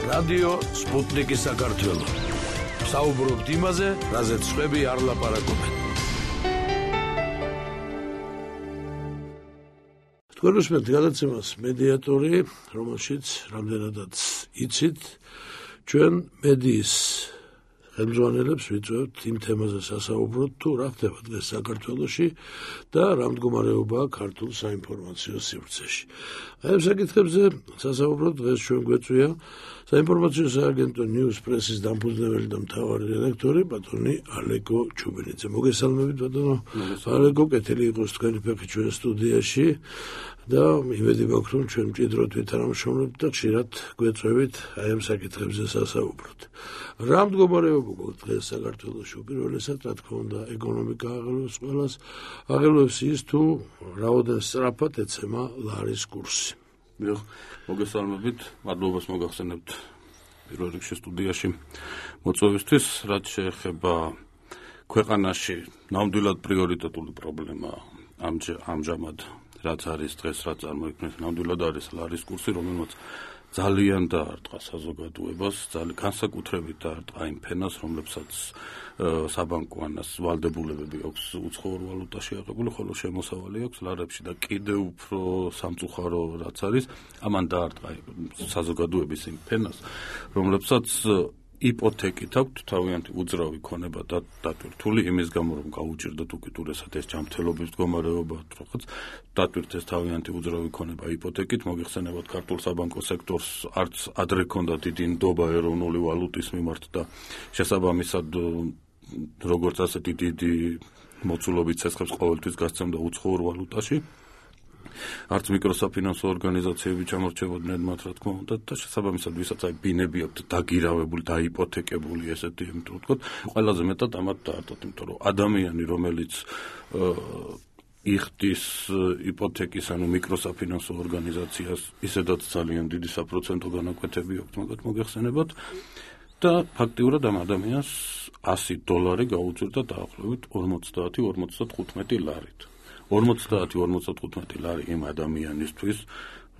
რადიო სპუტნიკი საქართველო. საუბრობთ იმაზე, რაზეც სხვები არ ლაპარაკობენ. თქვენ უსმენთ გადაცემას მედიატორი, რომელშიც რამდენადაც იცით, ჩვენ მედიის ხელმძღვანელებს ვიწვევთ იმ თემაზე სასაუბროთ, თუ რა ხდება დღეს საქართველოში და რა მდგომარეობაა ქართულ საინფორმაციო სივრცეში. აი ამ საკითხებზე სასაუბროთ დღეს ჩვენ გვეწვია საინფორმაციო სააგენტო News Press-ის დამფუძნებელი და მთავარი რედაქტორი ბატონი ალეკო ჩუბინიძე. მოგესალმებით ბატონო. ალეკო, კეთილი იყოს თქვენი ფეხი ჩვენ სტუდიაში და იმედი მაქვს, რომ ჩვენ მჭიდროდ ვითანამშრომლებთ და ხშირად გვეწვევით აი ამ საკითხებზე სასაუბროთ. რა მდგომარეობა გვაქვს დღეს საქართველოში? უპირველესად, რა თქმა უნდა, ეკონომიკა აღელვებს ყველას, აღელვებს ის თუ რაოდენ სწრაფად ეცემა ლარის კურსი. მოგესალმებით, მადლობას მოგახსენებთ პირველ რიგში სტუდიაში მოწვევისთვის, რაც შეეხება ქვეყანაში ნამდვილად პრიორიტეტული პრობლემა ამჟამად რაც არის დღეს, რაც წარმოიქმნეს, ნამდვილად არის ლარის კურსი, რომელმაც ძალიან დაარტყა საზოგადოებას, განსაკუთრებით დაარტყა იმ ფენას, რომლებსაც საბანკო ანას ვალდებულებები აქვს უცხოურ ვალუტაში აღებული, ხოლო შემოსავალი აქვს ლარებში და კიდევ უფრო სამწუხარო რაც არის, ამან დაარტყა საზოგადოების იმ ფენას, რომლებსაც იპოთეკით აქვთ თავიანთი უძრავი ქონება დატვირთული იმის გამო, რომ გაუჭირდათ უკიდურესად ეს ჯანმრთელობის მდგომარეობა, რაღაც დატვირთეს თავიანთი უძრავი ქონება იპოთეკით, მოგეხსენებათ ქართულ საბანკო სექტორს არც ადრე ჰქონდა დიდი ნდობა ეროვნული ვალუტის მიმართ და შესაბამისად როგორც ასეთი დიდი მოცულობით ცეცხლებს ყოველთვის გასცემდა უცხოურ ვალუტაში. არც მიკროსაფინანსო ორგანიზაციები ჩამორჩებოდნენ მათ, რა თქმა უნდა, და შესაბამისად ვისაც აი ბინები აქვთ დაგირავებული, დაიპოთეკებული ესეთი, იმიტომ რომ ვთქვათ, ყველაზე მეტად ამათ დაარტყათ, იმიტომ რომ ადამიანი, რომელიც იხდის იპოთეკის, ანუ მიკროსაფინანსო ორგანიზაციას, ისედაც ძალიან დიდი საპროცენტო განაკვეთები აქვთ, მაგათ მოგეხსენებათ და ფაქტიურად ამ ადამიანს $100 გაუჭირდა დაახლოებით 50-55 ლარით. 50-55 ლარი იმ ადამიანისთვის,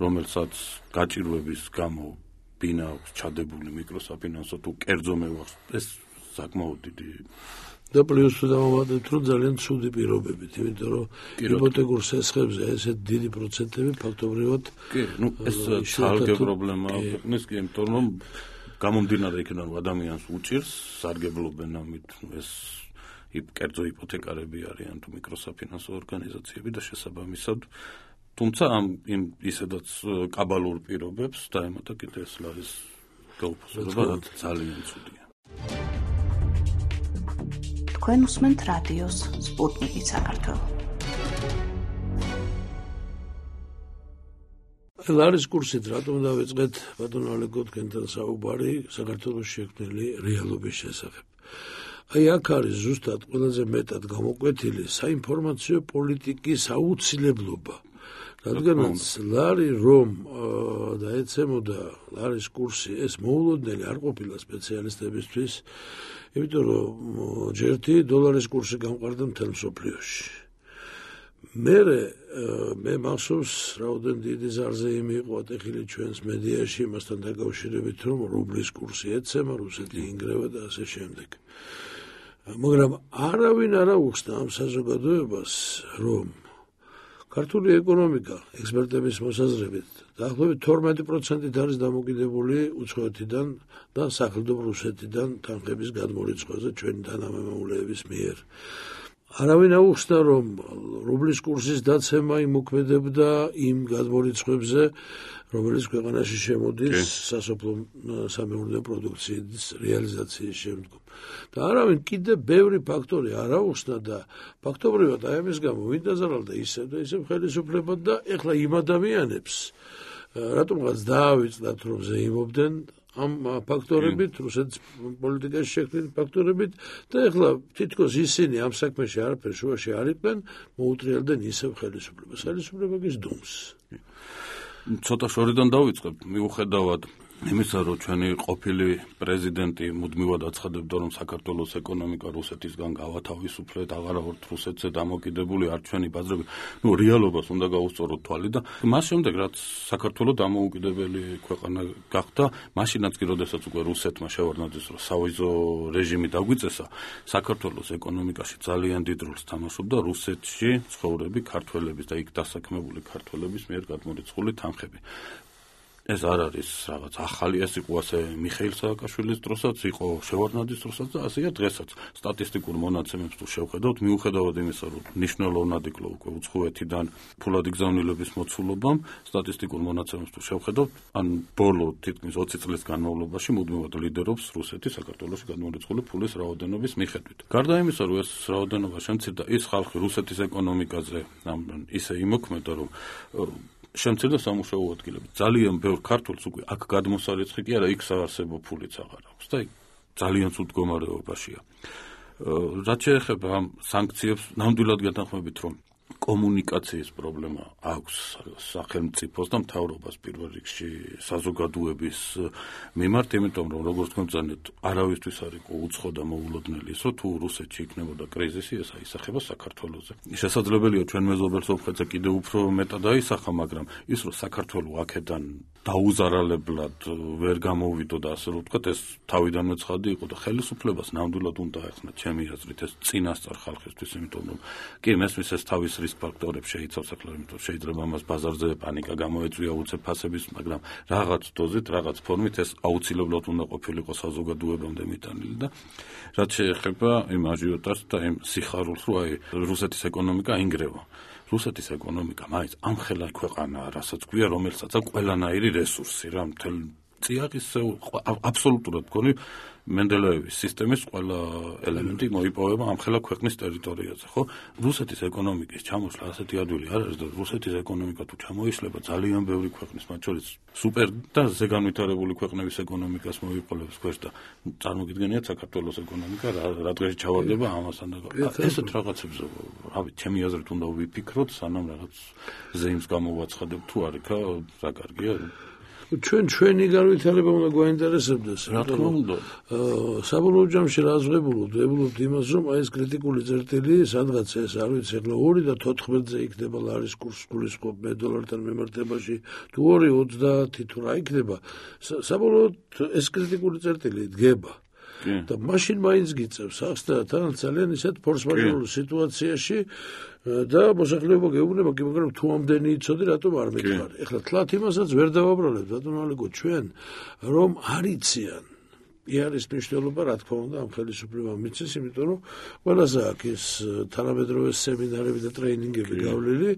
რომელსაც გაჭირვების გამო ბინა აქვს ჩადებული მიკროსაფინანსო თუ კერძო მევახს, ეს საკმაოდ დიდი და პლუს დავამატებთ, რომ ძალიან ცუდი პირობებით, იმიტომ რომ იპოთეკურ სესხებზე ესეთ დიდი პროცენტები ფაქტობრივად ეს ცალკე პრობლემაა ქვეყნის, იმიტომ რომ გამომდინარე იქიდან, რომ ადამიანს უჭირს, სარგებლობენ ამით, ეს კერძო იპოთეკარები არიან თუ მიკროსაფინანსო ორგანიზაციები და შესაბამისად, თუმცა იმ ისედაც კაბალურ პირობებს დაემატა კიდევ ეს ლარის გაუფასება, რაც ძალიან ცუდია. თქვენ უსმენთ რადიოს სპუტნიკი საქართველო. ლარის კურსით რატომ დავიწყეთ ბატონო ალეკო თქვენთან საუბარი საქართველოს შექმნილი რეალობის შესახებ? აი აქ არის ზუსტად ყველაზე მეტად გამოკვეთილი საინფორმაციო პოლიტიკის აუცილებლობა. რადგანაც ლარი რომ დაეცემოდა ლარის კურსი, ეს მოულოდნელი არ ყოფილა სპეციალისტებისთვის, იმიტომ რომ ჯერთი დოლარის კურსი გამყარდა მთელ მსოფლიოში. მე მახსოვს, რაოდენ დიდი ზარზეიმი იყო ატეხილი ჩვენს მედიაში იმასთან დაკავშირებით, რომ რუბლის კურსი ეცემა, რუსეთი ინგრევა და ასე შემდეგ. მაგრამ არავინ არ აუხსნა ამ საზოგადოებას, რომ ქართული ეკონომიკა ექსპერტების მოსაზრებით დაახლოებით 12% არის დამოკიდებული უცხოეთიდან და სახელმწიფო რუსეთიდან თანხების გადმორიცხვაზე ჩვენი თანამემამულეების მიერ. არავინ აუხსნა, რომ რუბლის კურსის დაცემა იმოქმედებდა იმ გადმორიცხვებზე, რომელიც ქვეყანაში შემოდის სასოფლო სამეურნეო პროდუქციის რეალიზაციის შემდგომ. და არავინ კიდევ ბევრი ფაქტორი არ აუხსნა და ფაქტობრივად აი ამის გამო ვინ დაზარალდა ისევ და ისევ ხელისუფლება და ეხლა იმ ადამიანებს რატომღაც დაავიწყდათ, რომ ზეიმობდნენ ამ ფაქტორებით, რუსეთის პოლიტიკაში შექმნილი ფაქტორებით და ეხლა თითქოს ისინი ამ საქმეში არაფერ შუაში არ იყვნენ, მოუტრიალდნენ ისევ ხელისუფლებას. ხელისუფლება გიზდუმს. ცოტა შორიდან დავიწყებ, მიუხედავად იმისა, რომ ჩვენი ყოფილი პრეზიდენტი მუდმივად აცხადებდა, რომ საქართველოს ეკონომიკა რუსეთისგან გავათავისუფლეთ, აღარა ვართ რუსეთზე დამოკიდებული, არ ჩვენი ბაზრები, რეალობას უნდა გაუსწოროთ თვალი და მას შემდეგ, რაც საქართველო დამოუკიდებელი ქვეყანა გახდა, მაშინაც კი, როდესაც უკვე რუსეთმა შევარდნაძეს, რომ სავიზო რეჟიმი დაგვიწესა, საქართველოს ეკონომიკაში ძალიან დიდ როლს თამაშობდა რუსეთში ცხოვრები ქართველების და იქ დასაქმებული ქართველების მიერ გადმორიცხული თანხები. ეს არ არის რაღაც ახალი, ეს იყო ასე მიხეილ სააკაშვილის დროსაც, იყო შევარდნაძის დროსაც და ასეა დღესაც. სტატისტიკურ მონაცემებს თუ შევხედავთ, მიუხედავად იმისა, რომ ნიშნულოვნად იკლო უკვე უცხოეთიდან ფულადი გზავნილების მოცულობამ, სტატისტიკურ მონაცემებს თუ შევხედავთ, ან ბოლო თითქმის 20 წლის განმავლობაში მუდმივად ლიდერობს რუსეთი საქართველოში გადმორიცხული ფულის რაოდენობის მიხედვით. გარდა იმისა, რომ ეს რაოდენობა შემცირდა, ის ხალხი რუსეთის ეკონომიკაზე ისე იმოქმედა, რომ შემცირდა სამუშაო ადგილები. ძალიან ბევრ ქართულს უკვე აქ გადმოსარიცხი კი არა, იქ საარსებო ფულიც აღარ აქვს და ძალიან ცუდ მდგომარეობაშია. რაც შეეხება ამ სანქციებს, ნამდვილად გეთანხმებით, რომ კომუნიკაციის პრობლემა აქვს სახელმწიფოს და მთავრობას პირველ რიგში საზოგადოების მიმართ, იმიტომ რომ როგორც გვამბობთ, არავისთვის არ იყო უცხო და მოულოდნელი ის, რომ თუ რუსეთში იქნებოდა კრიზისი, ეს აისახება საქართველოზე. შესაძლებელია ჩვენ მეზობელ სომხეთზე კიდევ უფრო მეტად აისახა, მაგრამ ის რომ საქართველო აქედან დაუზარალებლად ვერ გამოვიდო და ასე რომ ვთქვათ, ეს თავიდანვე ცხადი იყო და ხელისუფლებას ნამდვილად უნდა ეხნა ჩემი აზრით ეს წინასწარ ხალხისთვის, იმიტომ რომ კი მესმის ეს თავის რისკ ფაქტორებს შეიცავს ახლა, იმიტომ შეიძლება ამას ბაზარზე პანიკა გამოეწვია უცებ ფასების, მაგრამ რაღაც დოზით, რაღაც ფორმით ეს აუცილებლად უნდა ყოფილიყო საზოგადოებამდე მიტანილი და რაც შეეხება იმ აჟიოტაჟს და იმ სიხარულს, რომ აი რუსეთის ეკონომიკა ინგრევა. რუსეთის ეკონომიკა მაინც ამხელა ქვეყანაა, რასაც გვია, რომელსაც აქვს ყველანაირი რესურსი, რა მთელ წიაღის აბსოლუტურად მგონი მენდელეევის სისტემის ყველა ელემენტი მოიპოვება ამხელა ქვეყნის ტერიტორიაზე, ხო? რუსეთის ეკონომიკის ჩამოსვლა ასეთი ადვილი არ არის და რუსეთის ეკონომიკა თუ ჩამოიშლება, ძალიან ბევრი ქვეყნის, მათ შორის სუპერ და ზეგანვითარებული ქვეყნების ეკონომიკას მოიყოლებს ქვეშ და წარმოგიდგენიათ საქართველოს ეკონომიკა რა დღეში ჩავარდება ამასთან და ესეთ რაღაცებს, რავი, ჩემი აზრით უნდა ვიფიქროთ, სანამ რაღაც ზეიმს გამოვაცხადებთ თუ არ იქა, რა კარგია. ჩვენი განვითარება უნდა გვაინტერესებდეს. რა თქმა უნდა. საბოლოო ჯამში რა ვებულობთ იმას, რომ აი ეს კრიტიკული წერტილი, სადღაც ეს არ ვიცი, ახლა 2 და 14-ზე იქნება ლარის კურსი გულისხმობ $1-დან მიმართებაში, თუ 2.30 თუ რა იქნება, საბოლოოდ ეს კრიტიკული წერტილი დგება. და მაშინ მაინც გიწევს ახს და თან ძალიან ისეთ ფორს-მაჟორულ სიტუაციაში და მოსახლეობა გეუბნება კი, მაგრამ თუ ამდენი იცოდი, რატომ არ მითხარი? ეხლა თლათ იმასაც ვერ დავაბრალებ, ბატონო ალეკო, ჩვენ რომ არ იციან არის მნიშვნელობა, რა თქმა უნდა, ამ ხელისუფლებამ მიცეს, იმიტომ რომ ყველაზე აქ ის თანამედროვე სემინარები და ტრეინინგები გავლილი,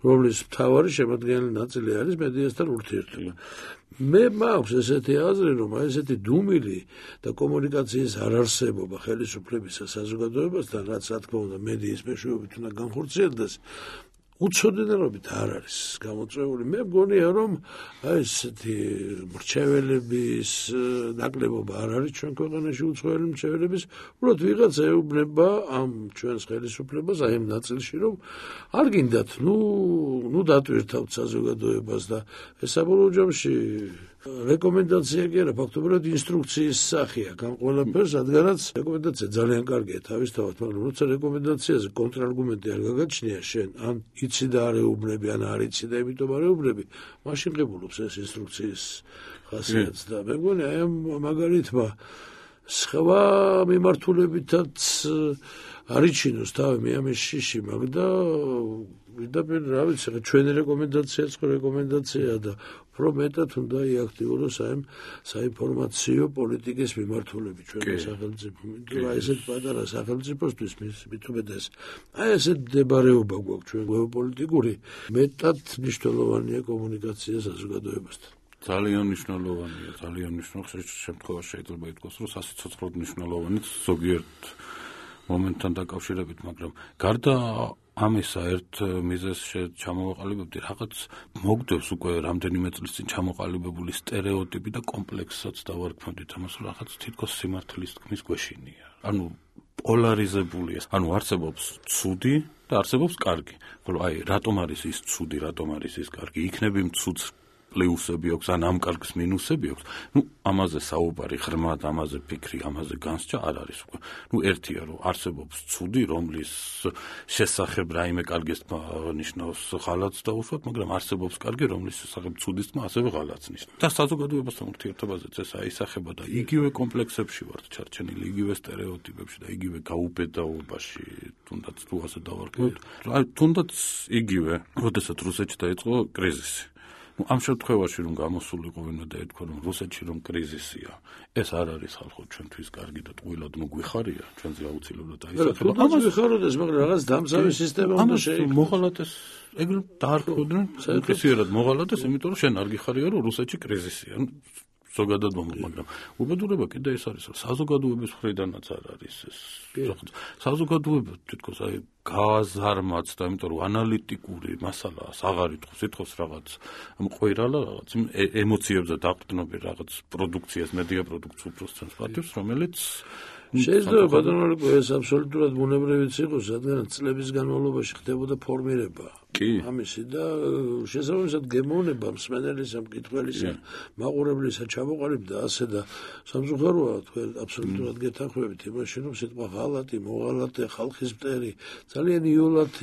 რომლის მთავარი შემადგენელი ნაწილი არის მედიასთან ურთიერთობა. მე მაქვს ესეთი აზრი, რომ აი ესეთი დუმილი და კომუნიკაციის არარსებობა ხელისუფლებისა საზოგადოებასთან, რაც რა თქმა უნდა მედიის მეშვეობით უნდა განხორციელდეს, უცოდინელობით არ არის გამოწვეული. მე მგონია, რომ აი ესეთი მრჩეველების ნაკლებობა არ არის ჩვენ ქვეყანაში, უცხოელი მრჩეველების, უბრალოდ ვიღაცა ეუბნება ამ ჩვენს ხელისუფლებას აი ამ ნაწილში, რომ არ გინდათ, ნუ დატვირთავთ საზოგადოებას და ეს საბოლოო ჯამში რეკომენდაცია კი არა, ფაქტობრივად ინსტრუქციის სახეა ამ ყველაფერს, რადგანაც რეკომენდაცია ძალიან კარგია თავისთავად, მაგრამ როცა რეკომენდაციაზე კონტრარგუმენტი არ გაგაჩნია შენ, ან იცი და არ ეუბნები, ან არ იცი და იმიტომ არ ეუბნები, მაშინ ღებულობს ეს ინსტრუქციის ხასიათს და მე მგონი აი ამ მაგალითმა სხვა მიმართულებითაც არიჩინოს თავი მე ამის შიში მაგ და ვიდაბენ რა ვიცი, ჩვენი რეკომენდაციაც ხო რეკომენდაცია და უფრო მეტად უნდა იაქტიუროს აი საინფორმაციო პოლიტიკის მიმართულები ჩვენი სახელმწიფო. აი ესეთ პატარა სახელმწიფოსთვის მით უმეტეს აი ესეთ მდებარეობა გვაქვს ჩვენ გეოპოლიტიკური, მეტად მნიშვნელოვანია კომუნიკაცია საზოგადოებასთან. ძალიან მნიშვნელოვანია, ძალიან მნიშვნელოვანია. შემთხვევაში შეიძლება ითქვას, რომ სასიცოცხლოდ მნიშვნელოვანიც ზოგიერთ მომენტთან დაკავშირებით, მაგრამ გარდა ამისა ერთ მიზეზს ჩამოვაყალიბებდი, რაღაც მოგდევს უკვე რამდენიმე წლის წინ ჩამოყალიბებული სტერეოტიპი და კომპლექსსაც დავარქმევდით ამას, რომ რაღაც თითქოს სიმართლის თქმის გვეშინია. ანუ პოლარიზებულია. ანუ არსებობს ცუდი და არსებობს კარგი. ხოლო აი რატომ არის ის ცუდი, რატომ არის ის კარგი? იქნებ იმ ცუდს პლუსები აქვს, ან ამ კარგს მინუსები აქვს. ამაზე საუბარი, ღრმად ამაზე ფიქრი, ამაზე განსჯა არ არის უკვე. ერთია რომ არსებობს ცუდი, რომლის შესახებ რაიმე კარგის ნიშნავს ღალატს დაუშვათ, მაგრამ არსებობს კარგი, რომლის შესახებ ცუდის თქმა ასევე ღალატს ნიშნავს. და საზოგადოებასთან ურთიერთობაზეც ეს აისახება და იგივე კომპლექსებში ვართ ჩარჩენილი, იგივე სტერეოტიპებში და იგივე გაუბედაობაში, თუნდაც თუ ასე დავარქვათ. თუნდაც იგივე, როდესაც რუსეთში დაიწყო კრიზისი. ამ შემთხვევაში რომ გამოსულიყო ვინმე და ეთქვა რომ რუსეთში რომ კრიზისია, ეს არ არის ხალხო ჩვენთვის კარგი და ტყუილად გვიხარია, ჩვენზე აუცილებლად აისახება. ამას ვიხაროდეს, მაგრამ რაღაც დამცავი სისტემა უნდა შეიქმნას. მოღალატეს ეგრე დაარქვდნენ, უპირისპირად მოღალატეს, იმიტომ რომ შენ არ გიხარია რომ რუსეთში კრიზისია. ზოგადად მაგრამ უბედურება კიდე ეს არის, რომ საზოგადოების მხრიდანაც არ არის ეს. საზოგადოება თითქოს გააზარმაც და იმიტომ რომ ანალიტიკური მასალაა, აღარ ითხოვს რაღაც მყვირალა, რაღაც ემოციებზე დაყრდნობი რაღაც პროდუქციას, მედია პროდუქციას უბრალოდ პატივს, რომელიც შეიძლება ბატონო ეს აბსოლუტურად ბუნებრივიც იყოს, რადგან წლების განმავლობაში ხდებოდა ფორმირება. ამისი და შესაბამისად გემოვნება მსმენელისა, მკითხველისა, მაყურებლისა ჩამოყალიბდა ასე და სამწუხაროა თქვენ აბსოლუტურად გეთანხმებით იმაში, რომ სიტყვა ღალატი, მოღალატე, ხალხის მტერი ძალიან იოლად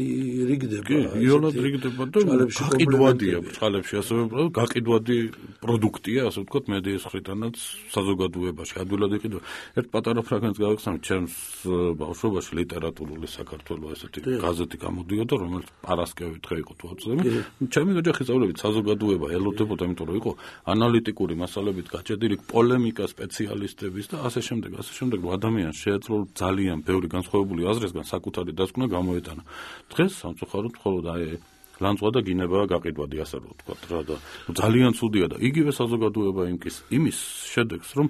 რიგდება. იოლად რიგდება და გაყიდვადია ბრწყალებში, ასევე გაყიდვადი პროდუქტია, ასე ვთქვათ, მედიის მხრიდანაც საზოგადოებაში. ადვილად იყიდვა. ერთ პატარა ფრაგმენტს გავიხსენებ, ჩემს ბავშვობაში ლიტერატურული საქართველოს ესეთი გაზეთი გამოდიოდა, რომელიც პარასკევით იყო თუ აწევი. ჩემი ოჯახის წევრებით საზოგადოება ელოდებოდა, იმიტომ რომ იყო ანალიტიკური მასალებით გაჭედილი პოლემიკა სპეციალისტების და ასე შემდეგ, რომ ადამიანს შეეძლო ძალიან ბევრი განსხვავებული აზრისგან საკუთარი დასკვნა გამოეტანა. დღეს სამწუხაროდ მხოლოდ ლანძღვა და გინებაა გაყიდვადი, ასე რომ ვთქვათ რა და ძალიან ცუდია და იგივე საზოგადოება იმის შედეგს, რომ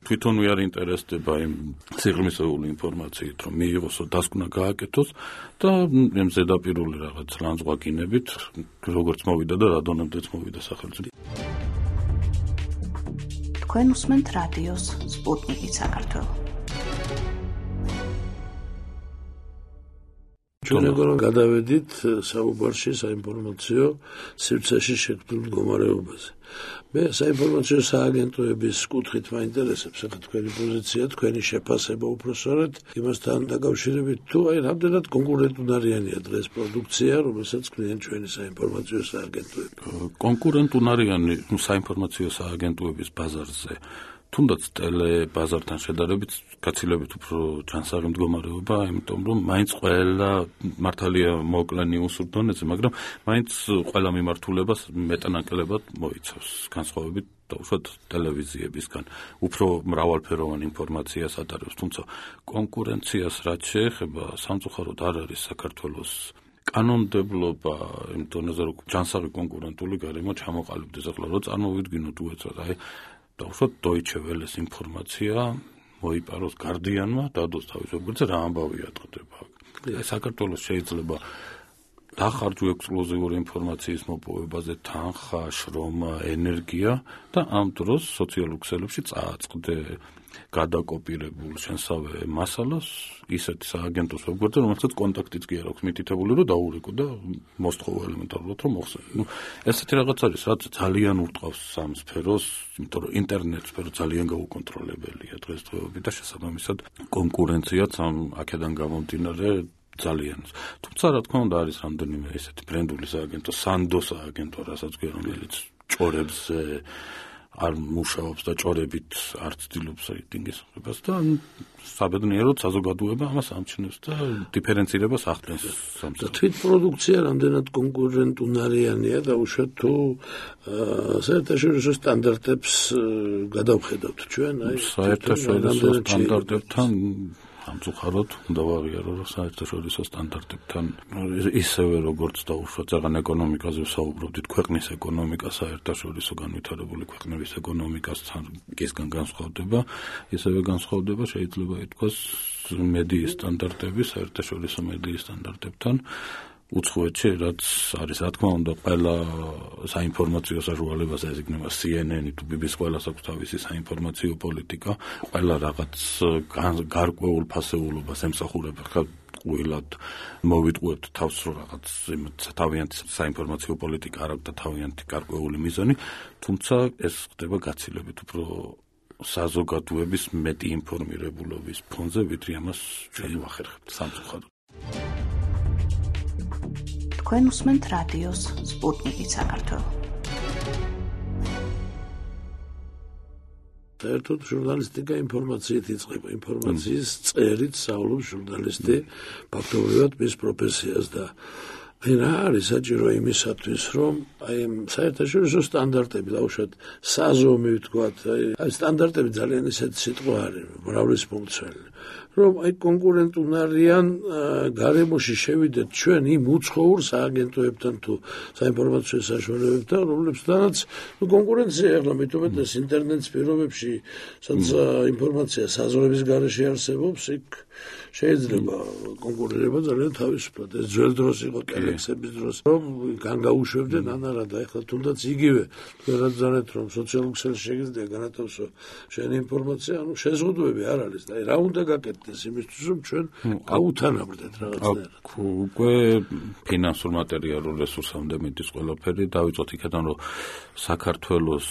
თვითონ არ ინტერესდება იმ სიღრმისეული ინფორმაციით, რომ მიიღოს დასკვნა გააკეთოს და იმ ზედაპირული რაღაც ლანძღვა გინებით, როგორც მოვიდა და რა დონემდეც მოვიდა სახელმწიფო. თქვენ უსმენთ რადიოს სპუტნიკი საქართველო. ჩვენ ეგრევე გადავედით საუბარში საინფორმაციო სივრცეში შექმნილ მდგომარეობაზე. მე საინფორმაციო სააგენტოების კუთხით მაინტერესებს ახლა თქვენი პოზიცია, თქვენი შეფასება უпроსორად იმასთან დაკავშირებით, თუ რამდენად კონკურენტუნარიანია დღეს პროდუქცია, რომელსაც ქმნიან ჩვენი საინფორმაციო სააგენტოები. კონკურენტუნარიანი საინფორმაციო სააგენტოების ბაზარზე თუნდაც ტელე-ბაზართან შედარებით გაცილებით უფრო ჯანსაღი მდგომარეობა, იმიტომ რომ მაინც ყველა მართალია მოკლენი უსურდონეზე, მაგრამ მაინც ყველა მიმართულებას მეტანაკლებად მოიცავს განსხვავებით დაუშვათ ტელევიზიებისგან. უფრო მრავალფეროვანი ინფორმაციას ატარებს, თუმცა კონკურენციას რაც შეეხება, სამწუხაროდ არ არის საქართველოს კანონმდებლობა იმ დონეზე, რომ ჯანსაღი კონკურენტული გარემო ჩამოყალიბდეს. ახლა რო წარმოვიდგინოთ უეცრად, დაუშვათ Deutsche Welle-ის ინფორმაცია მოიპაროს Guardian-მა, დადოს თავის ვებგვერდზე რა ამბავია ტყდება. საქართველოს შეიძლება დახარჯო ექსკლუზიური ინფორმაციის მოპოვებაზე თანხა, შრომა, ენერგია და ამ დროს სოციალურ ქსელებში წააწყდე გადაკოპირებულ შენსავე მასალას ისეთ სააგენტოს ვებგვერდზე, რომელსაც კონტაქტიც კი არ აქვს მითითებული, რომ დაურეკო და მოსთხოვა ელემენტარულად რომ მოხსენო. ესეთი რაღაც არის, რაც ძალიან ურტყავს სამ სფეროს, იმიტომ რომ ინტერნეტ სფერო ძალიან გაუკონტროლებელია დღესდღეობით და შესაბამისად კონკურენციაც ამ აქედან გამომდინარე ძალიან. თუმცა რა თქმა უნდა არის რამდენიმე ესეთი ბრენდული სააგენტო, Sando სააგენტო, რასაც გვია, რომელიც ჭორებზე არ მუშაობს და ჭორებით არ ცდილობს რეიტინგის მიღებას და საბედნიეროდ საზოგადოება ამას ამჩნევს და დიფერენცირებას ახდენს. თვით პროდუქცია რამდენად კონკურენტუნარიანია და უშუალოდ თუ საერთაშორისო სტანდარტებს გადავხედავთ ჩვენ, საერთაშორისო სტანდარტებთან სამწუხაროდ უნდა ვაღიარო, რომ საერთაშორისო სტანდარტებთან ისევე როგორც დაუშვათ ზაღან ეკონომიკაზე ვსაუბრობდით, ქვეყნის ეკონომიკა საერთაშორისო განვითარებული ქვეყნების ეკონომიკასთან კისგან განსხვავდება, ისევე განსხვავდება შეიძლება ითქვას მედიის სტანდარტები საერთაშორისო მედიის სტანდარტებთან. უცხოეთში რაც არის რა თქმა უნდა ყველა საინფორმაციო საშუალებას ეზიგნება CNN-ი თუ BBC ყველას აქვს თავისი საინფორმაციო პოლიტიკა, ყველა რაღაც გარკვეულ ფასეულობას ემსახურება. ტყუილად მოვიტყუებთ თავს, რომ რაღაც თავიანთი საინფორმაციო პოლიტიკა არ აქვს და თავიანთი გარკვეული მიზანი, თუმცა ეს ხდება გაცილებით უფრო საზოგადოების მეტი ინფორმირებულობის ფონზე, ვიდრე ამას ჩვენ ვახერხებთ სამწუხაროდ. თქვენ უსმენთ რადიოს სპუტნიკი საქართველო. საერთოდ ჟურნალისტიკა ინფორმაციით იწყება, ინფორმაციის წერით სწავლობს ჟურნალისტი ფაქტობრივად მის პროფესიას და რა არის საჭირო იმისათვის, რომ აი საერთაშორისო სტანდარტები, დაუშვათ საზომი ვთქვათ, აი სტანდარტები ძალიან ისეთი სიტყვა არის, მრავლისმომცველი, რომ აი კონკურენტუნარიან გარემოში შევიდეთ ჩვენ იმ უცხოურ სააგენტოებთან თუ საინფორმაციო საშუალებებთან, რომლებთანაც კონკურენცია ახლა მithumetes ინტერნეტის პირობებში, სადაც ინფორმაცია საზღვრების გარეშე არსებობს, იქ შეიძლება კონკურირება ძალიან თავისუფლად. ეს ძველ დროს იყო კელექსების დროს, რომ განგაუშვებდნენ ანარა და ახლა თუნდაც იგივე გადაგზავნეთ, რომ სოციალურ ქსელში შეგიძლია განათავსო შენი ინფორმაცია, ანუ შეზღუდვები არ არის და რა უნდა გაკეთდეს იმისთვის, რომ ჩვენ გაუთანაბრდეთ რაღაცნაირად. უკვე ფინანსურ მატერიალურ რესურსამდე მიდის ყველაფერი, დავიწყოთ იქიდან, რომ საქართველოს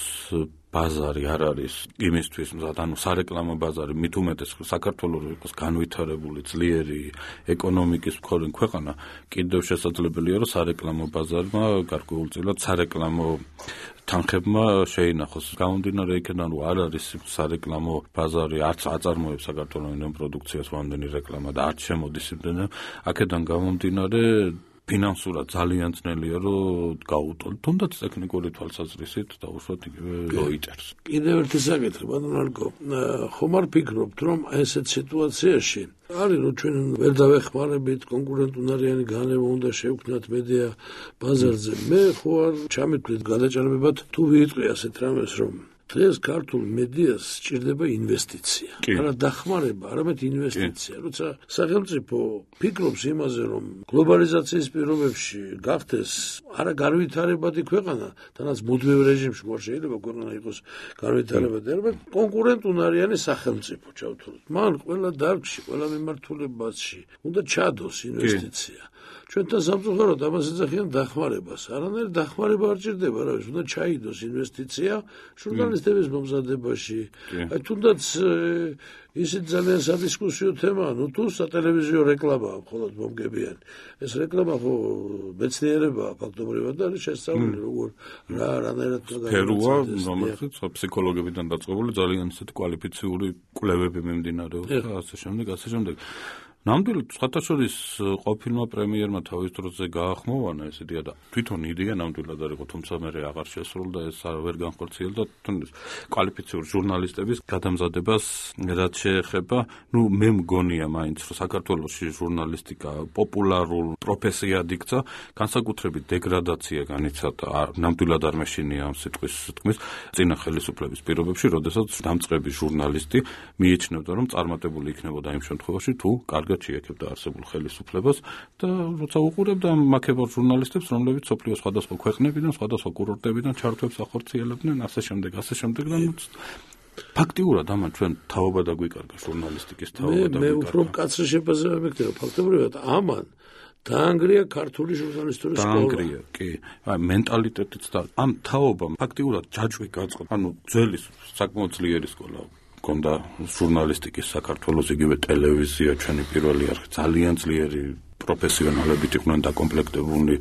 ბაზარი არ არის იმისთვის, ანუ სარეკლამო ბაზარი, მithumetes საქართველოს იყოს განვითარებული ძლიერი ეკონომიკის მქონე ქვეყანა, კიდევ შესაძლებელია, რომ სარეკლამო ბაზარმა გარკვეულწილად სარეკლამო თანხებმა შეინახოს. გამომდინარე იქიდან, რომ არ არის სარეკლამო ბაზარი, არც აწარმოებს საქართველოს პროდუქციას ვამდენი რეკლამა და არც შემოდის იმდენად, აქედან გამომდინარე ფინანსურად ძალიან ძნელია, რომ გაუტოლ. თუნდაც ტექნიკური თვალსაზრისით დაუშვათ იგივე როიტერს. კიდევ ერთი საკითხი, ბატონო ალკო, ხომ არ ფიქრობთ, რომ ესეთ სიტუაციაში არის, რომ ჩვენ ვერ დავეხმარებით კონკურენტუნარიანი განება უნდა შევქმნათ მედია ბაზარზე. მე ხო არ ჩამეთვლით გადაჭარბებად თუ ვიიტყვი ასეთ რამეს, რომ დღეს ქართულ მედიას სჭირდება ინვესტიცია. არა დახმარება, არამედ ინვესტიცია. როცა სახელმწიფო ფიქრობს იმაზე, რომ გლობალიზაციის პირობებში გახდეს არა განვითარებადი ქვეყანა, თანაც მუდმივ რეჟიმში არ შეიძლება ქვეყანა იყოს განვითარებადი, არამედ კონკურენტუნარიანი სახელმწიფო ჩავთვალოთ. მან ყველა დარგში, ყველა მიმართულებაში უნდა ჩადოს ინვესტიცია. ჩვენთან სამწუხაროდ ამას ეძახიან დახმარებას. არანაირი დახმარება არ ჭირდება, რა ვიცი, უნდა ჩაიდოს ინვესტიცია ჟურნალისტების მომზადებაში. აი თუნდაც ისიც ძალიან სადისკუსიო თემაა, ნუ თუ სატელევიზიო რეკლამაა მხოლოდ მომგებიანი. ეს რეკლამა ხო მეცნიერებაა ფაქტობრივად და არის შესწავლილი, როგორ რანაირად ფერუა, რომელსაც ფსიქოლოგებიდან დაწყებული ძალიან ისეთი კვალიფიციური კვლევები მიმდინარეობს და ასე შემდეგ. ნამდვილად სხვათა შორის ყოფილმა პრემიერმა თავის დროზე გაახმოვანა ეს იდეა და თვითონ იდეა ნამდვილად არ იყო, თუმცა მე აღარ შესრულდა ეს ვერ განხორციელდა თუნდაც კვალიფიციური ჟურნალისტების გადამზადებას რაც შეეხება, მე მგონია მაინც რომ საქართველოში ჟურნალისტიკა პოპულარულ პროფესიად იქცა, განსაკუთრებით დეგრადაცია განიცადა, ნამდვილად არ მეშინია ამ სიტყვის თქმის წინა ხელისუფლების პირობებში, როდესაც დამწყები ჟურნალისტი მიიჩნევდა რომ წარმატებული იქნებოდა იმ შემთხვევაში თუ კარგად შეეკებდა არსებულ ხელისუფლებას და როცა უყურებდა მაქებარ ჟურნალისტებს, რომლებიც სოფლიოს სხვადასხვა ქვეყნებიდან, სხვადასხვა კურორტებიდან ჩართვებს ახორციელებდნენ, ასე შემდეგ და ფაქტიურად ამან ჩვენ თაობა დაგვიკარგა ჟურნალისტიკის თაობა დაგვიკარგა. მე უფრო მკაცრი შეფასება მეკითხება, ფაქტობრივად ამან დაანგრია ქართული ჟურნალისტური სკოლა. დაანგრია, კი. მენტალიტეტიც და ამ თაობამ ფაქტიურად ჯაჭვი გაწყო. ანუ ძველი საკმაოდ ძლიერი სკოლა კონდა ჟურნალისტიკის საქართველოს, იგივე ტელევიზია, ჩვენი პირველი არხი ძალიან ძლიერი პროფესიონალებით იყვნენ დაკომპლექტებული,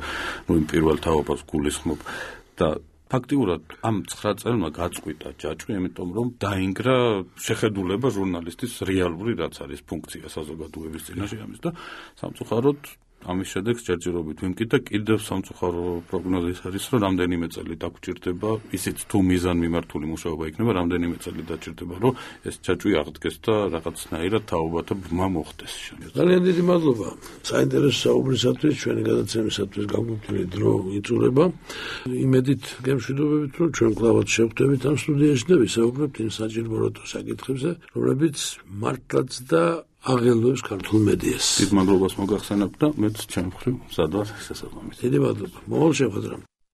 იმ პირველ თაობას გულისხმობ და ფაქტიურად ამ 9 წელმა გაწყვიტა ჯაჭვი, იმიტომ რომ დაინგრა შეხედულება ჟურნალისტის რეალური რაც არის ფუნქცია საზოგადოების წინაშე ამის და სამწუხაროდ ამის შედეგს ჯერჯერობით ვიმკიდდა, კიდევ სამწუხარო პროგნოზი არის, რომ რამდენიმე წელი დაგჭირდება, ისიც თუ მიზან მიმართული მუშაობა იქნება, რამდენიმე წელი დაჭირდება, რომ ეს ჯაჭვი აღდგეს და რაღაცნაირად თაობათა ბრმა მოხდეს. ძალიან დიდი მადლობა საინტერესო საუბრისათვის, ჩვენი გადაცემისათვის გამოფთული დრო იწურება. იმედით გემშვიდობებით, რომ ჩვენ კლავად შევხვდებით ამ სტუდიაში და ვისაუბრებთ იმ საჭიროებო საკითხებზე, რომლებიც მართლაც და აღელვებს ქართულ მედიას. დიდ მადლობას მოგახსენებთ და მეც ჩემ მხრივ მზად ვარ შესაბამისად. დიდი მადლობა. მოვალ შეხვედრამ.